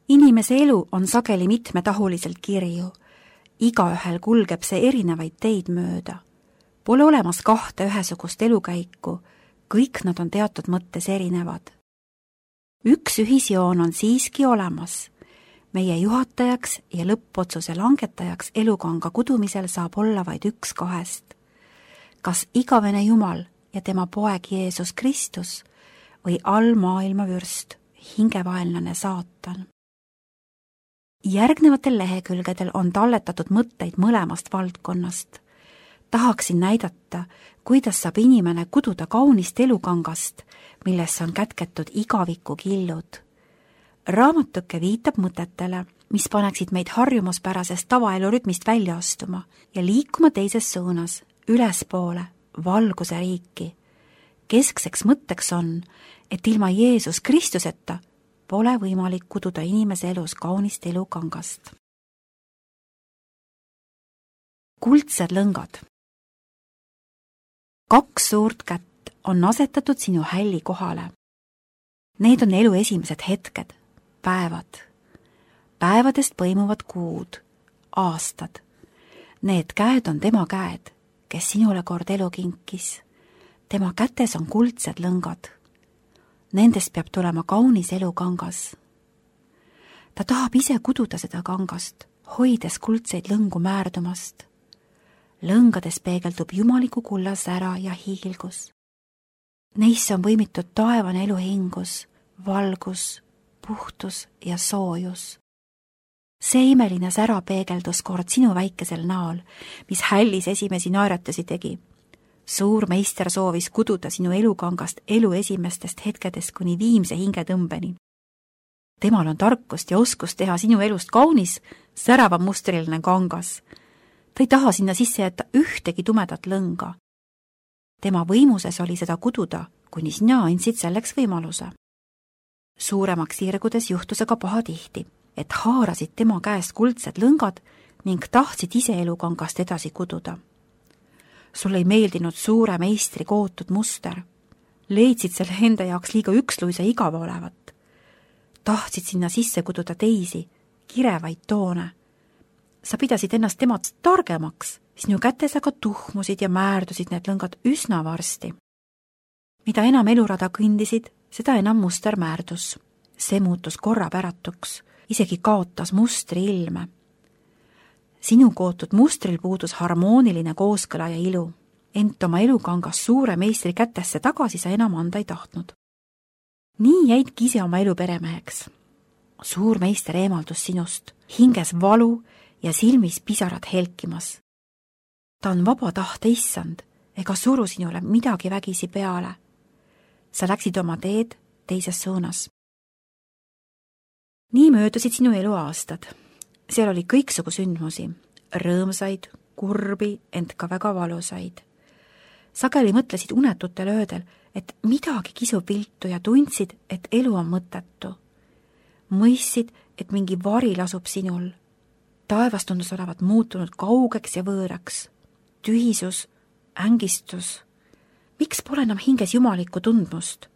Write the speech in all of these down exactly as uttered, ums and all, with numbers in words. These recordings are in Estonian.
Inimese elu on sageli mitmetahuliselt kirju. Igaühel kulgeb see erinevaid teid mööda. Pole olemas kahte ühesugust elukäiku, kõik nad on teatud mõttes erinevad. Üks ühisjoon on siiski olemas. Meie juhatajaks ja lõppotsuse langetajaks elukanga kudumisel saab olla vaid üks kahest. Kas igavene Jumal ja tema poeg Jeesus Kristus või allmaailma vürst, hingevaenlane saatan. Järgnevatel lehekülgedel on talletatud mõtteid mõlemast valdkonnast. Tahaksin näidata, kuidas saab inimene kududa kaunist elukangast, millesse on kätketud igaviku killud. Raamatuke viitab mõtetele, mis paneksid meid harjumuspärasest tavaelurütmist välja astuma ja liikuma teises suunas, ülespoole, valguse riiki. Keskseks mõtteks on, et ilma Jeesus Kristuseta pole võimalik kududa inimese elus kaunist elukangast. Kuldsed lõngad. Kaks suurt kätt on asetatud sinu hälli kohale. Need on elu esimesed hetked, päevad. Päevadest põimuvad kuud, aastad. Need käed on tema käed, kes sinule kord elu kinkis. Tema kätes on kuldsed lõngad. Nendest peab tulema kaunis elukangas. Ta tahab ise kududa seda kangast, hoides kuldseid lõngu määrdumast. Lõngades peegeldub jumaliku kulla sära ja hiilgus. Neisse on võimitud taevane eluhingus, valgus, puhtus ja soojus. See imeline sära peegeldus kord sinu väikesel näol, mis hällis esimesi naeratusi tegi. Suur meister soovis kududa sinu elukangast elu esimestest hetkedest kuni viimse hingetõmbeni. Temal on tarkust ja oskust teha sinu elust kaunis, särava mustriline kangas. Ta ei taha sinna sisse jätta ühtegi tumedat lõnga. Tema võimuses oli seda kududa, kuni sina andsid selleks võimaluse. Suuremaks sirgudes juhtusega paha tihti, et haarasid tema käest kuldsed lõngad ning tahtsid ise elukangast edasi kududa. Sul ei meeldinud suure meistri kootud muster. Leidsid selle enda jaoks liiga üksluise igava olevat. Tahtsid sinna sisse kududa teisi, kirevaid toone. Sa pidasid ennast temast targemaks, sinu kätes aga tuhmusid ja määrdusid need lõngad üsna varsti. Mida enam elurada kõndisid, seda enam muster määrdus. See muutus korrapäratuks, isegi kaotas mustri ilme. Sinu kootud mustril puudus harmooniline kooskõla ja ilu, ent oma elukangas suure meistri kätesse tagasi sa enam anda ei tahtnud. Nii jäidki ise oma elu peremeheks. Suur meister eemaldus sinust, hinges valu ja silmis pisarad helkimas. Ta on vaba tahte issand, ega suru sinule midagi vägisi peale. Sa läksid oma teed teises suunas. Nii möödusid sinu elu aastad. Seal oli kõiksugu sündmusi, rõõmsaid, kurbi, ent ka väga valusaid. Sageli mõtlesid unetutel öödel, et midagi kisub viltu ja tundsid, et elu on mõttetu. Mõistsid, et mingi vari lasub sinul. Taevas tundus olevat muutunud kaugeks ja võõraks. Tühisus, ängistus. Miks pole enam hinges jumalikku tundmust?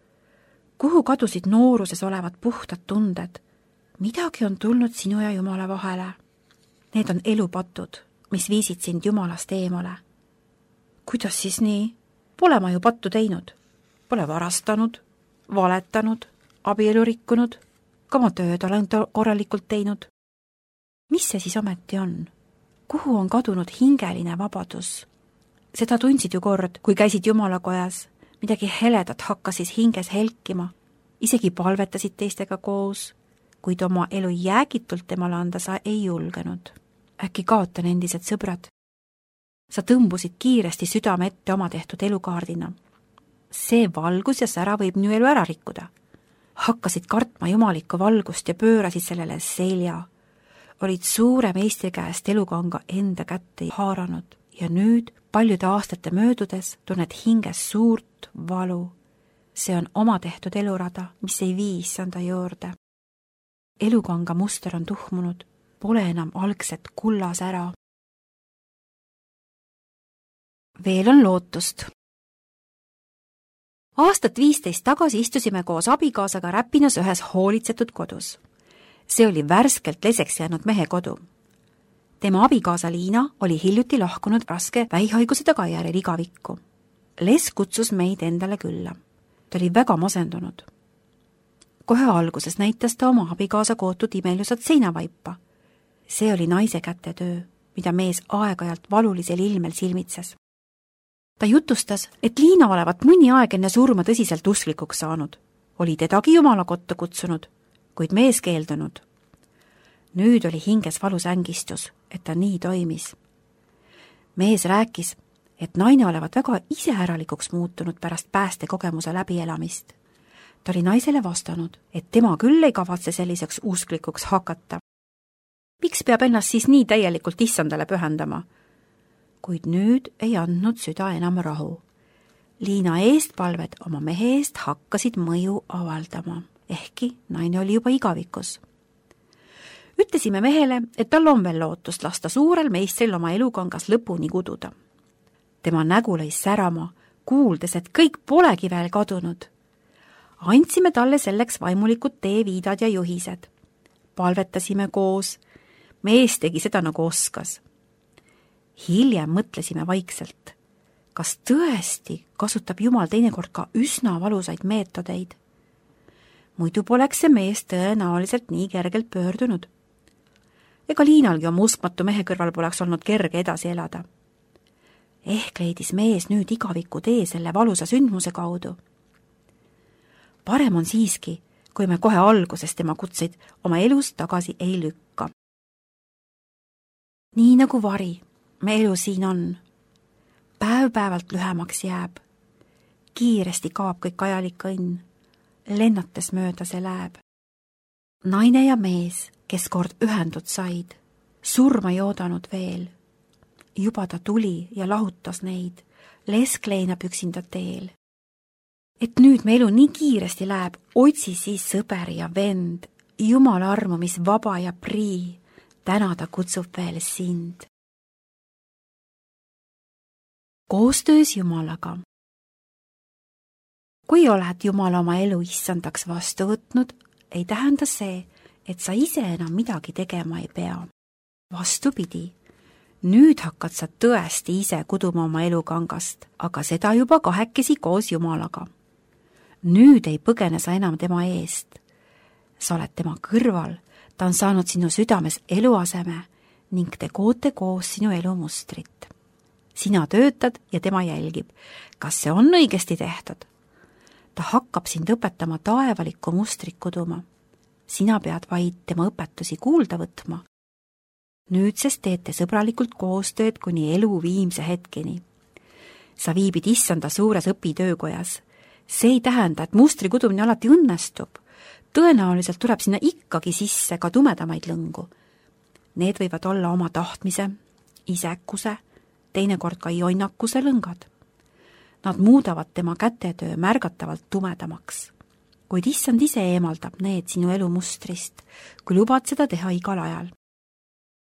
Kuhu kadusid nooruses olevad puhtad tunded? Midagi on tulnud sinu ja Jumala vahele. Need on elupatud, mis viisid sind Jumalast eemale. Kuidas siis nii? Pole ma ju pattu teinud. Pole varastanud, valetanud, abielu rikkunud, ka ma tööd olen korralikult teinud. Mis see siis ometi on? Kuhu on kadunud hingeline vabadus? Seda tundsid ju kord, kui käisid Jumalakojas. Midagi heledat hakkasid hinges helkima. Isegi palvetasid teistega koos, kuid oma elu jäägitult temale anda sa ei julgenud. Äkki kaotan endised sõbrad. Sa tõmbusid kiiresti südame ette oma tehtud elukaardina. See valgus ja sära võib nüüd elu ära rikkuda. Hakkasid kartma jumalikku valgust ja pöörasid sellele selja. Olid suure meistri käest elukanga enda kätte haaranud ja nüüd paljude aastate möödudes tunned hinges suurt valu. See on oma tehtud elurada, mis ei viis anda juurde. Elukanga muster on tuhmunud, pole enam algset kullas ära. Veel on lootust. Aastat viisteist tagasi istusime koos abikaasaga Räpinas ühes hoolitsetud kodus. See oli värskelt leseks jäänud mehe kodu. Tema abikaasa Liina oli hiljuti lahkunud raske vähihaiguse tagajärjel igavikku. Les kutsus meid endale külla. Ta oli väga masendunud. Kohe alguses näitas ta oma abikaasa kootud imelusat seinavaipa. See oli naise kätetöö, mida mees aeg-ajalt valulisel ilmel silmitses. Ta jutustas, et Liina olevat mõni aeg enne surma tõsiselt usklikuks saanud. Oli tedagi Jumala kotta kutsunud, kuid mees keeldunud. Nüüd oli hinges valus ängistus, et ta nii toimis. Mees rääkis, et naine olevat väga iseäralikuks muutunud pärast päästekogemuse läbielamist. Ta oli naisele vastanud, et tema küll ei kavatse selliseks usklikuks hakata. Miks peab ennast siis nii täielikult issandale pühendama? Kuid nüüd ei andnud süda enam rahu. Liina eestpalved oma mehe eest hakkasid mõju avaldama, ehkki naine oli juba igavikus. Ütlesime mehele, et tal on veel lootust lasta suurel meistril oma elukangas lõpuni kududa. Tema nägu lõi särama, kuuldes, et kõik polegi veel kadunud. Andsime talle selleks vaimulikud teeviidad ja juhised. Palvetasime koos, mees tegi seda nagu oskas. Hiljem mõtlesime vaikselt, kas tõesti kasutab Jumal teinekord ka üsna valusaid meetodeid. Muidu poleks see mees tõenäoliselt nii kergelt pöördunud. Ega Liinalgi oma uskmatu mehe kõrval poleks olnud kerge edasi elada. Ehk leidis mees nüüd igaviku tee selle valusa sündmuse kaudu. Parem on siiski, kui me kohe alguses tema kutseid oma elus tagasi ei lükka. Nii nagu vari, me elu siin on. Päev-päevalt lühemaks jääb. Kiiresti kaob kõik ajalik õnn. Lennates mööda see läheb. Naine ja mees, kes kord ühendud said, surma ei oodanud veel. Juba ta tuli ja lahutas neid, lesk leinab üksinda teel. Et nüüd me elu nii kiiresti läheb, otsi siis sõber ja vend, Jumala armu, mis vaba ja prii, täna ta kutsub veel sind. Koostöös Jumalaga. Kui oled Jumala oma elu issandaks vastu võtnud, ei tähenda see, et sa ise enam midagi tegema ei pea. Vastupidi, nüüd hakkad sa tõesti ise kuduma oma elukangast, aga seda juba kahekesi koos Jumalaga. Nüüd ei põgene sa enam tema eest. Sa oled tema kõrval, ta on saanud sinu südames eluaseme ning te koote koos sinu elumustrit. Sina töötad ja tema jälgib, kas see on õigesti tehtud. Ta hakkab sind õpetama taevalikku mustrit kuduma. Sina pead vaid tema õpetusi kuulda võtma. Nüüdsest teete sõbralikult koostööd kuni elu viimse hetkeni. Sa viibid issanda suures õpitöökojas. See ei tähenda, et mustri kudumine alati õnnestub. Tõenäoliselt tuleb sinna ikkagi sisse ka tumedamaid lõngu. Need võivad olla oma tahtmise, isekuse, teinekord ka jonnakuse lõngad. Nad muudavad tema kätetöö märgatavalt tumedamaks. Kuid issand ise eemaldab need sinu elumustrist, kui lubad seda teha igal ajal.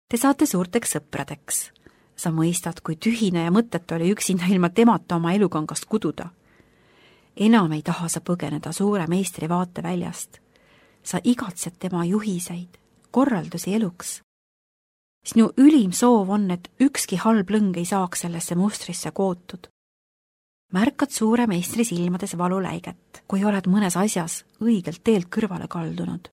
Te saate suurteks sõpradeks. Sa mõistad, kui tühine ja mõttetu oli üksinda ilma temata oma elukangast kududa. Enam ei taha sa põgeneda suure meistri vaateväljast. Sa igatsed tema juhiseid, korraldusi eluks. Sinu ülim soov on, et ükski halb lõng ei saaks sellesse mustrisse kootud. Märkad suure meistri silmades valuläiget, kui oled mõnes asjas õigelt teelt kõrvale kaldunud.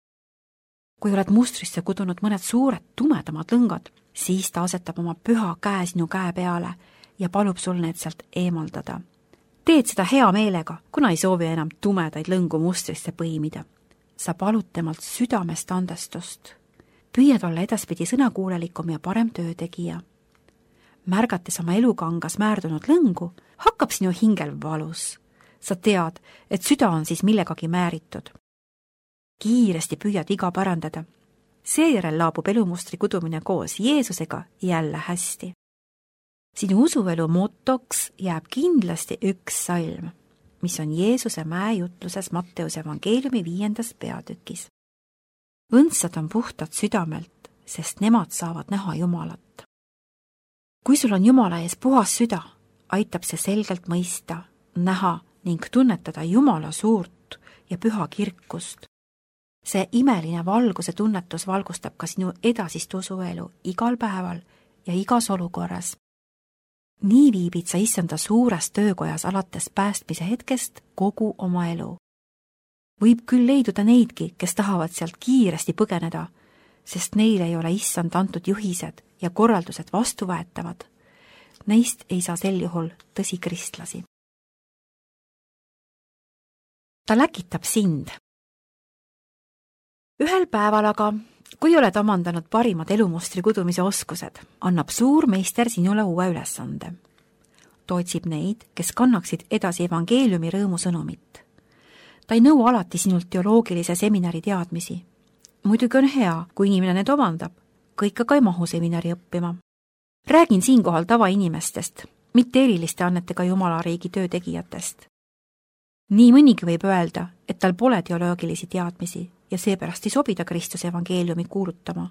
Kui oled mustrisse kudunud mõned suured tumedamad lõngad, siis ta asetab oma püha käe sinu käe peale ja palub sul need sealt eemaldada. Teed seda hea meelega, kuna ei soovi enam tumedaid lõngu mustrisse põimida. Sa palud temalt südamest andestust. Püüad olla edaspidi sõnakuulelikum ja parem töötegija. Märgates oma elukangas määrdunud lõngu, hakkab sinu hingel valus. Sa tead, et süda on siis millegagi määritud. Kiiresti püüad iga parandada. Seejärel laabub elumustri kudumine koos Jeesusega jälle hästi. Sinu usuelu motoks jääb kindlasti üks salm, mis on Jeesuse mäejutluses Matteuse evangeeliumi viiendas peatükis. Õndsad on puhtad südamelt, sest nemad saavad näha Jumalat. Kui sul on Jumala ees puhas süda, aitab see selgelt mõista, näha ning tunnetada Jumala suurt ja püha kirkust. see imeline valguse tunnetus valgustab ka sinu edasist usuelu igal päeval ja igas olukorras. Nii viibid sa issanda suures töökojas alates päästmise hetkest kogu oma elu. Võib küll leiduda neidki, kes tahavad sealt kiiresti põgeneda, sest neile ei ole issand antud juhised ja korraldused vastuvõetavad. Neist ei saa sel juhul tõsi kristlasi. Ta läkitab sind. Ühel päeval aga, kui oled omandanud parimad elumustri kudumise oskused, annab suur meister sinule uue ülesande. Ta otsib neid, kes kannaksid edasi evangeeliumi rõõmusõnumit. Ta ei nõua alati sinult teoloogilise seminari teadmisi. Muidugi on hea, kui inimene need omandab, kõik aga ei mahu seminari õppima. Räägin siinkohal tavainimestest, mitte eriliste annetega Jumalariigi töötegijatest. Nii mõnigi võib öelda, et tal pole teoloogilisi teadmisi ja seepärast ei sobida Kristuse evangeeliumi kuulutama.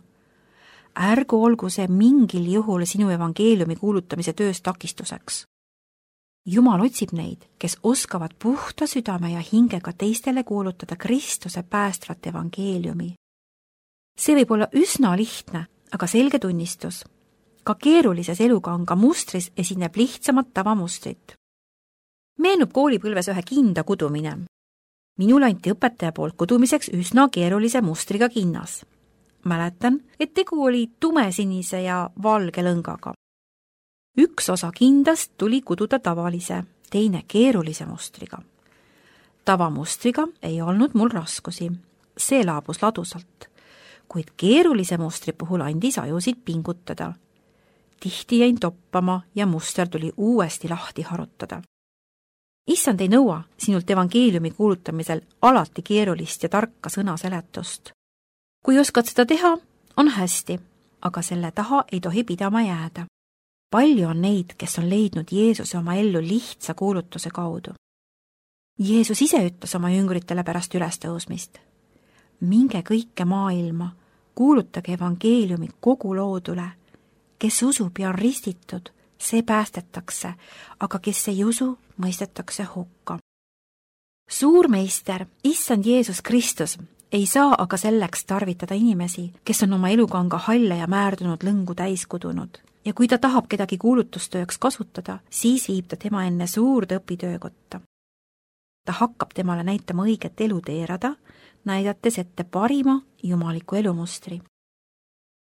Ärgu olgu see mingil juhul sinu evangeeliumi kuulutamise töös takistuseks. Jumal otsib neid, kes oskavad puhta südame ja hingega teistele kuulutada Kristuse päästvat evangeeliumi. See võib olla üsna lihtne, aga selge tunnistus. Ka keerulises elukanga mustris esineb lihtsamat tavamustrit. Meenub koolipõlves ühe kinda kudumine. Minul anti õpetaja poolt kudumiseks üsna keerulise mustriga kinnas. Mäletan, et tegu oli tumesinise ja valge lõngaga. Üks osa kindast tuli kududa tavalise, teine keerulise mustriga. Tavamustriga ei olnud mul raskusi. See laabus ladusalt, kuid keerulise mustri puhul andis ajusid pingutada. Tihti jäin toppama ja muster tuli uuesti lahti harutada. Issand ei nõua sinult evangeeliumi kuulutamisel alati keerulist ja tarka sõnaseletust. Kui oskad seda teha, on hästi, aga selle taha ei tohi pidama jääda. Palju on neid, kes on leidnud Jeesuse oma ellu lihtsa kuulutuse kaudu. Jeesus ise ütles oma jüngritele pärast ülestõusmist. Minge kõike maailma, kuulutage evangeeliumi kogu loodule. Kes usub ja on ristitud, see päästetakse, aga kes ei usu, mõistetakse hukka. Suur meister, issand Jeesus Kristus, ei saa aga selleks tarvitada inimesi, kes on oma elukanga halle ja määrdunud lõngu täis kudunud. Ja kui ta tahab kedagi kuulutustööks kasutada, siis viib ta tema enne suurde õpitöökotta. Ta hakkab temale näitama õiget elu teerada, näidates ette parima jumaliku elumustri.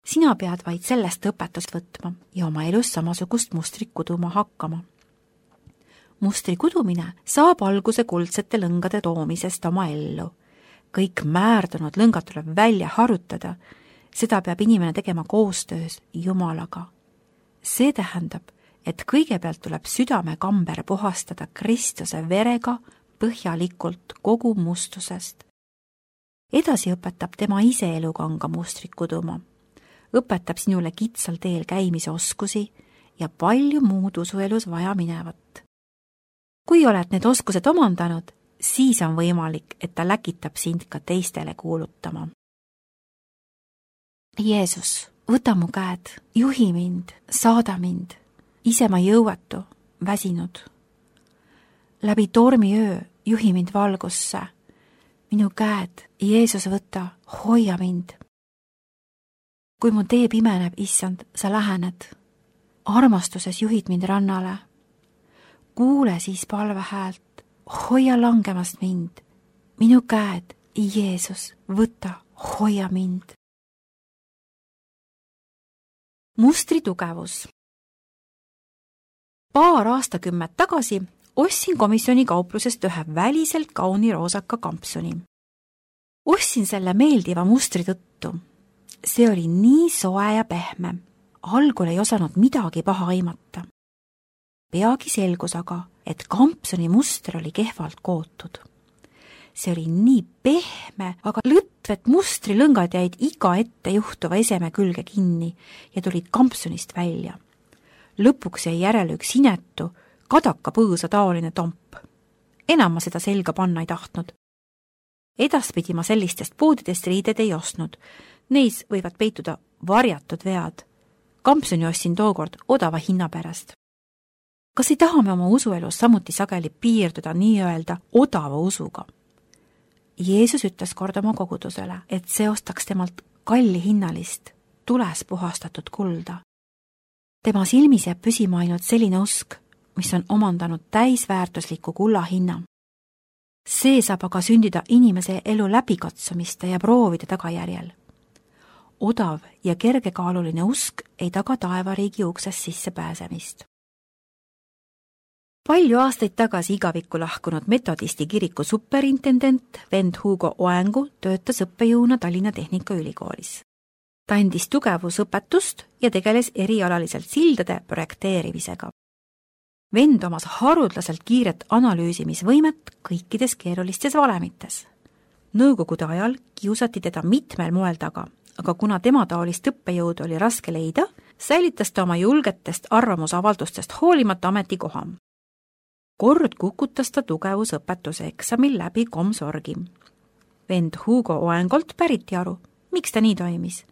Sina pead vaid sellest õpetust võtma ja oma elus samasugust mustrit kuduma hakkama. Mustri kudumine saab alguse kuldsete lõngade toomisest oma ellu. Kõik määrdunud lõngad tuleb välja harutada, seda peab inimene tegema koostöös Jumalaga. See tähendab, et kõigepealt tuleb südame kamber puhastada Kristuse verega põhjalikult kogu mustusest. Edasi õpetab tema ise elukanga mustrit kuduma. Õpetab sinule kitsal teel käimise oskusi ja palju muud usuelus vaja minevat. Kui oled need oskused omandanud, siis on võimalik, et ta läkitab sind ka teistele kuulutama. Jeesus, võta mu käed, juhi mind, saada mind, ise ma jõuetu, väsinud. Läbi tormiöö juhi mind valgusse. Minu käed, Jeesus, võta, hoia mind. Kui mu tee pimeneb, issand, sa lähened. Armastuses juhid mind rannale. Kuule siis palve häält, hoia langemast mind. Minu käed, Jeesus, võta, hoia mind. Mustri tugevus. Paar aastakümmet tagasi ostsin komisjoni kauplusest ühe väliselt kauni roosaka kampsuni. Ostsin selle meeldiva mustri tõttu. See oli nii soe ja pehme. Algul ei osanud midagi paha aimata. Peagi selgus aga, et kampsuni muster oli kehvalt kootud. See oli nii pehme, aga lõtvet mustri lõngad jäid iga ette juhtuva eseme külge kinni ja tulid kampsunist välja. Lõpuks jäi järele üks inetu, kadaka põõsa taoline tomp. Enam ma seda selga panna ei tahtnud. Edaspidi ma sellistest poodidest riided ei ostnud. Neis võivad peituda varjatud vead. Kampsuni ostsin tookord odava hinna pärast. Kas ei taha me oma usuelus samuti sageli piirduda nii öelda odava usuga? Jeesus ütles kord oma kogudusele, et see ostaks temalt kalli hinnalist, tules puhastatud kulda. Tema silmis jääb püsima ainult selline usk, mis on omandanud täisväärtusliku kulla hinna. See saab aga sündida inimese elu läbikatsumiste ja proovide tagajärjel. Odav ja kergekaaluline usk ei taga taevariigi uksest sisse pääsemist. Palju aastaid tagasi igavikku lahkunud metodisti kiriku superintendent vend Hugo Oengu töötas õppejõuna Tallinna Tehnikaülikoolis. Ta andis tugevusõpetust ja tegeles erialaliselt sildade projekteerimisega. Vend omas harudlaselt kiiret analüüsimisvõimet kõikides keerulistes valemites. Nõukogude ajal kiusati teda mitmel moel taga, aga kuna tema taolist õppejõud oli raske leida, säilitas ta oma julgetest arvamusavaldustest hoolimata ametikoha. Kord kukutas ta tugevusõpetuse eksamil läbi komsorgi. Vend Hugo Oengolt päriti aru, miks ta nii toimis.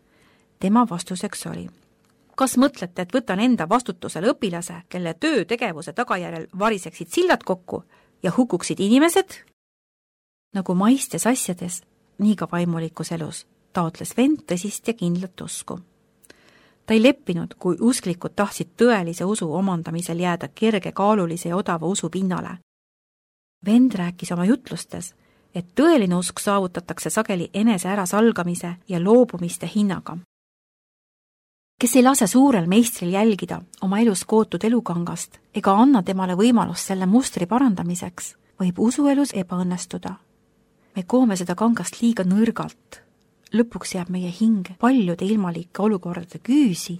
Tema vastuseks oli: kas mõtlete, et võtan enda vastutusele õpilase, kelle töötegevuse tagajärjel variseksid sillad kokku ja hukuksid inimesed? Nagu maistes asjades, nii ka vaimulikus elus taotles vend tõsist ja kindlat usku. Ta ei leppinud, kui usklikud tahtsid tõelise usu omandamisel jääda kergekaalulise ja odava usu pinnale. Vend rääkis oma jutlustes, et tõeline usk saavutatakse sageli enese ärasalgamise ja loobumiste hinnaga. Kes ei lase suurel meistril jälgida oma elus kootud elukangast ega anna temale võimalust selle mustri parandamiseks, võib usuelus ebaõnnestuda. Me koome seda kangast liiga nõrgalt. Lõpuks jääb meie hing paljude ilmalike olukordade küüsi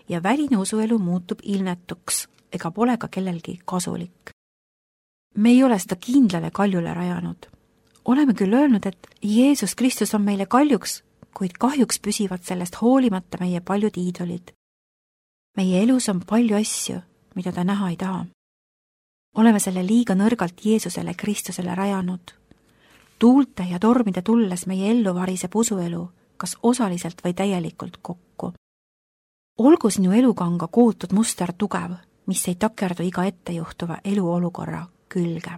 ja väline usuelu muutub ilmetuks ega pole ka kellelgi kasulik. Me ei ole seda kindlale kaljule rajanud. Oleme küll öelnud, et Jeesus Kristus on meile kaljuks, kuid kahjuks püsivad sellest hoolimata meie paljud iidolid. Meie elus on palju asju, mida ta näha ei taha. Oleme selle liiga nõrgalt Jeesusele Kristusele rajanud. Tuulte ja tormide tulles meie ellu variseb usuelu, kas osaliselt või täielikult kokku. Olgu sinu elukanga kootud muster tugev, mis ei takerdu iga ettejuhtuva eluolukorra külge.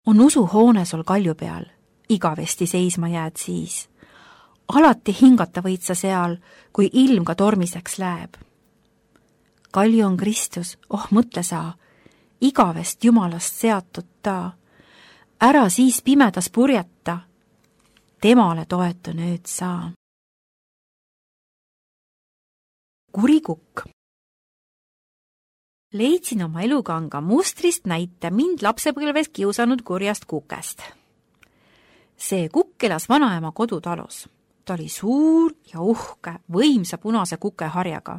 On usuhoone sul kalju peal, igavesti seisma jääd siis. Alati hingata võid sa seal, kui ilm ka tormiseks läheb. Kalju on Kristus, oh mõtle sa, igavest Jumalast seatud ta. Ära siis pimedas purjeta, temale toetu nüüd saa. Kurikukk. Leidsin oma elukanga mustrist näite mind lapsepõlves kiusanud kurjast kukest. See kukk elas vanaema kodutalus. Ta oli suur ja uhke, võimsa punase kukeharjaga.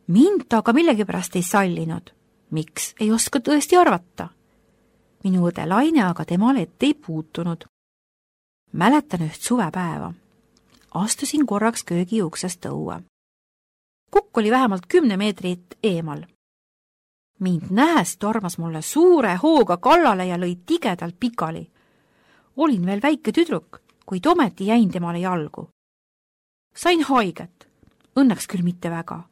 Mind ta aga millegipärast ei sallinud. Miks, ei oska tõesti arvata. Minu õde Laine aga temale ette ei puutunud. Mäletan üht suvepäeva. Astusin korraks köögi uksest õue. Kukk oli vähemalt kümne meetrit eemal. Mind nähes tormas mulle suure hooga kallale ja lõi tigedalt pikali. Olin veel väike tüdruk, kuid ometi jäin temale jalgu. Sain haiget, õnneks küll mitte väga.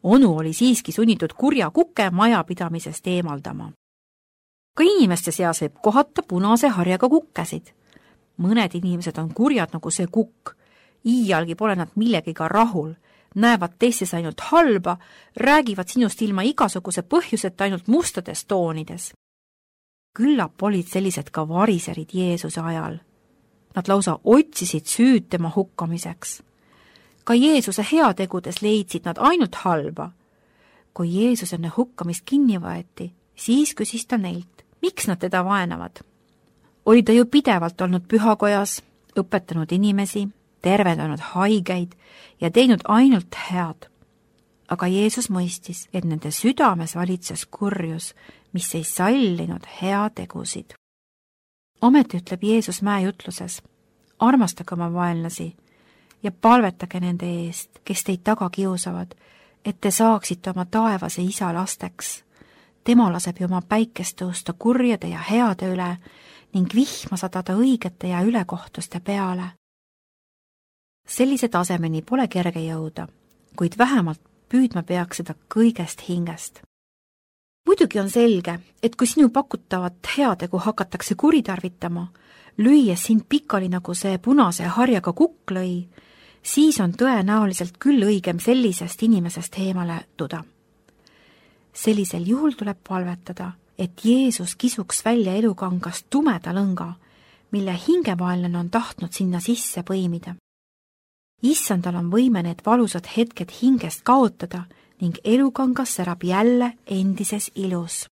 Onu oli siiski sunnitud kurja kukke majapidamisest eemaldama. Ka inimeste seas võib kohata punase harjaga kukkesid. Mõned inimesed on kurjad nagu see kukk. Iialgi pole nad millegiga rahul, näevad teistes ainult halba, räägivad sinust ilma igasuguse põhjuseta ainult mustades toonides. Küllap olid sellised ka variserid Jeesuse ajal. Nad lausa otsisid süüd tema hukkamiseks. Ka Jeesuse heategudes leidsid nad ainult halba. Kui Jeesus enne hukkamist kinni võeti, siis küsis ta neilt, miks nad teda vaenavad. Oli ta ju pidevalt olnud pühakojas, õpetanud inimesi, tervendanud haigeid ja teinud ainult head. Aga Jeesus mõistis, et nende südames valitses kurjus, mis ei sallinud heategusid. Ometi ütleb Jeesus mäejutluses, armastage oma vaenlasi ja palvetage nende eest, kes teid taga kiusavad, et te saaksite oma taevase isa lasteks. Tema laseb ju oma päikest tõusta kurjade ja heade üle ning vihma sadada õigete ja ülekohtuste peale. Sellise tasemeni pole kerge jõuda, kuid vähemalt püüdma peaks seda kõigest hingest. muidugi on selge, et kui sinu pakutavat heategu hakatakse kuritarvitama, lüües sind pikali nagu see punase harjaga kukk lõi, siis on tõenäoliselt küll õigem sellisest inimesest eemale tuda. Sellisel juhul tuleb palvetada, et Jeesus kisuks välja elukangast tumeda lõnga, mille hingemaelane on tahtnud sinna sisse põimida. Issandal on võime need valusad hetked hingest kaotada ning elukangas särab jälle endises ilus.